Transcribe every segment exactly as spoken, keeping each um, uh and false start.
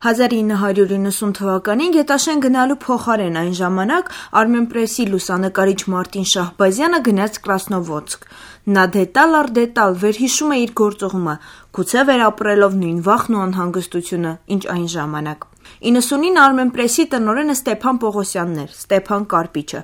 հազար ինը հարյուր իննսուն թվականին Գետաշեն գնալու փոխարեն այն ժամանակ Armenpress-ի լուսանկարիչ Մարտին Շահբազյանը գնաց Կրասնովոդսկ։ Նա դետալ առ դետալ վերհիշում է իր գործողումը, գուցե վերապրելով նույն վախն ու անհանգստությունը, ինչ այն ժամանակ։ իննսունին Armenpress-ի տնօրենը Ստեփան Պողոսյանն էր, Ստեփան Կարպիչը,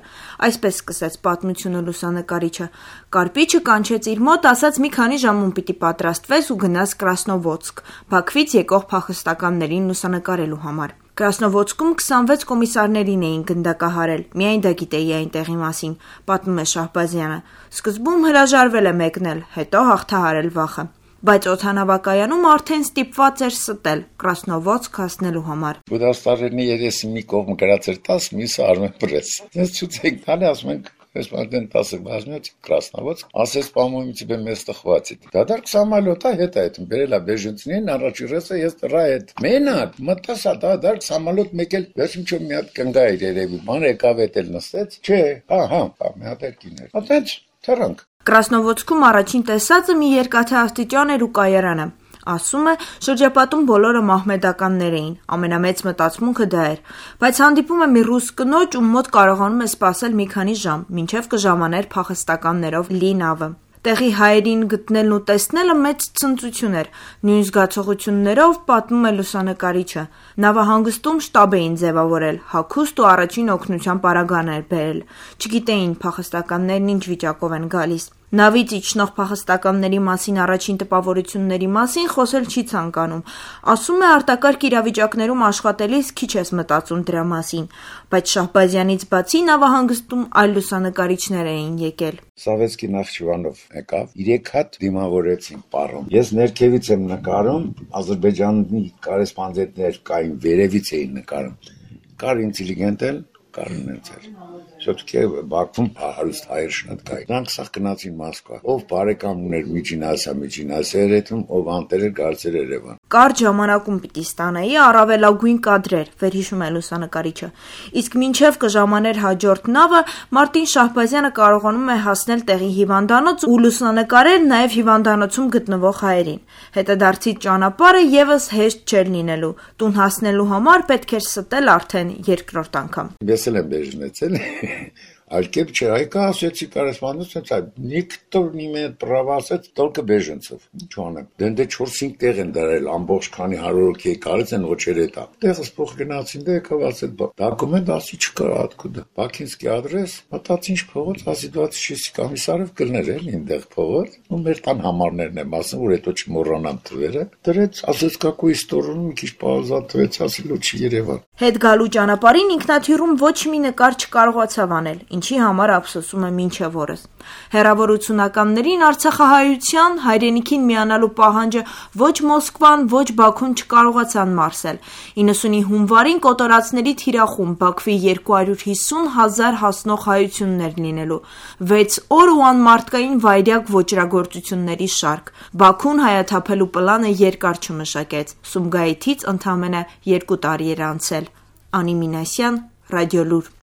այսպես սկսեց պատմությունը լուսանկարիչը։ Կարպիչը կանչեց իր մոտ, ասաց մի քանի ժամում պիտի պատրաստվես ու գնաս Կրասնովոդսկ, Բաքվից եկող փախստականներին լուսանկարելու համար։ Կրասնովոդսկում քսանվեց կոմիսարներին էին գնդակահարել, միայն դա գիտեի այնտեղի մասին, պատմում է Շահբազյանը։ Սկզբում հրաժարվել է մեկնել, հետո հաղթահարել վախը։ Բայց օդանավակայանում արդեն ստիպված էր ստել Կրասնովոդսկ հասնելու համար։ Գյուդաստարենի երեսի մի կողմը գրած էր տասը, մյուսը Armenpress։ Դες ցույց տալի, ասում ենք Այսպատեն տասը բազմից Կրասնովոդսկ, ասես по-моему тебе место хватит. Да так самолета հետ այդ բերելա բեժնցին առաջի ռեսը ես դրա հետ։ Մենակ մտածա դա դա самолет մեկել վերջին չո մի հատ կնգա էր երևի։ Ման եկավ էտել նստեց։ Չէ, ահա, մի հատ կիներ։ Այդպես թրանք։ Կրասնովոդսկում առաջին տեսածը մի երկաթե աստիճան էր ու կայարանը։ Ասում է, շրջապատում բոլորը մահմեդականներ էին, ամենամեծ մտածմունքը դա էր, բայց հանդիպում է մի ռուս կնոջ, ում մոտ կարողանում է սպասել մի քանի ժամ, մինչև կժամաներ փախստականներով լի նավը։ Տեղի հայերին գտնելն ու տեսնելը մեծ ցնծություն էր, նույն զգացողություններով պատմում է լուսանկարիչը։ Նավահանգստում շտաբ էին ձևավորել, հագուստ ու առաջին օգնության պարագաներ բերել, չգիտեին փախստականներն ինչ վիճակով են գալիս։ Նավից իջնող փախստականների մասին առաջին տպավորությունների մասին խոսել չի ցանկանում։ Ասում է արտակարգ իրավիճակներում աշխատելիս քիչ ես մտածում դրա մասին, բայց Շահբազյանից բացի նավահանգստում այլ լուսանկարիչներ էին եկել։ Սավետսկի Նախճիվանով եկավ, երեք հատ դիմավորեցին պարում։ Ես ներքևից եմ նկարում, Ադրբեջանի կորեսպոնդենտներ կային, վերևից էին նկարում։ Կար ինտելիգենտ էլ, կար նեցել։ Все-таки Բաքվում հարուստ հայեր շատ կային։ Նրանք սա գնացին Մոսկվա։ Ով բարեկամ ուներ Միջին Ասիա, Միջին Ասիայում, ով անտեր էր գալցեր Երևան։ Կարճ ժամանակում պիտի ստանայի առավելագույն կադրեր, վերհիշում է լուսանկարիչը։ Իսկ մինչև կժամաներ հաջորդ նավը, Մարտին Շահբազյանը կարողանում է հասնել տեղի հիվանդանոց ու լուսանկարել նաև հիվանդանոցում գտնվող հայերին։ Հետադարձի ճանապարհը եւս հեշտ չէր լինելու։ Տուն հասնելու համար պետք էր ստել արդեն երկրորդ անգամ։ Ես էլ եմ բեժնեցել։ Алькеп չէ, այկա ասեցի կորեսպոնդենտ, никто не имеет права ասեց только беженцев։ Ինչ անեմ։ Դե չորս-հինգ տեղ են դարել, ամբողջ քանի հարյուր հոգի կարած են ոչերը տա։ Տեղս փոխ գնացին, դե եկավ ասել, դոկումենտ ասի չկար откуда։ Բաքինսկի адрес, մտածի ինչ փողոց, ասի двадцать шесть Комиссаров կլներ էլ այնտեղ փողոց։ Ու մեր տան համարներն եմ ասում, որ հետո չմոռանամ թվերը։ Դրեց, ասեց какую сторону մի քիչ պաուզատվեց, ասել ու չի Երևան։ Հետ գալու ճանապարհին ինքնաթիռում ոչ մի նկար չկարողացավ անել, ինչի համար ափսոսում է մինչև օրս։ Հեռավորությունականներին Արցախահայության հայրենիքին միանալու պահանջը ոչ Մոսկվան, ոչ Բաքուն չկարողացան մարսել։ իննսունի հունվարին կոտորածների թիրախում Բաքվի երկու հարյուր հիսուն հազար հասնող հայություններ լինելու, վեց օր ու անմարդկային վայրյակ ոճրագործությունների շարք։ Բաքուն հայաթափելու պլանը երկար չմշակեց։ Սումգայիթից ընդամենը երկու տարի էր անցել։ Անի Մինասյան, Ռադիոլուր։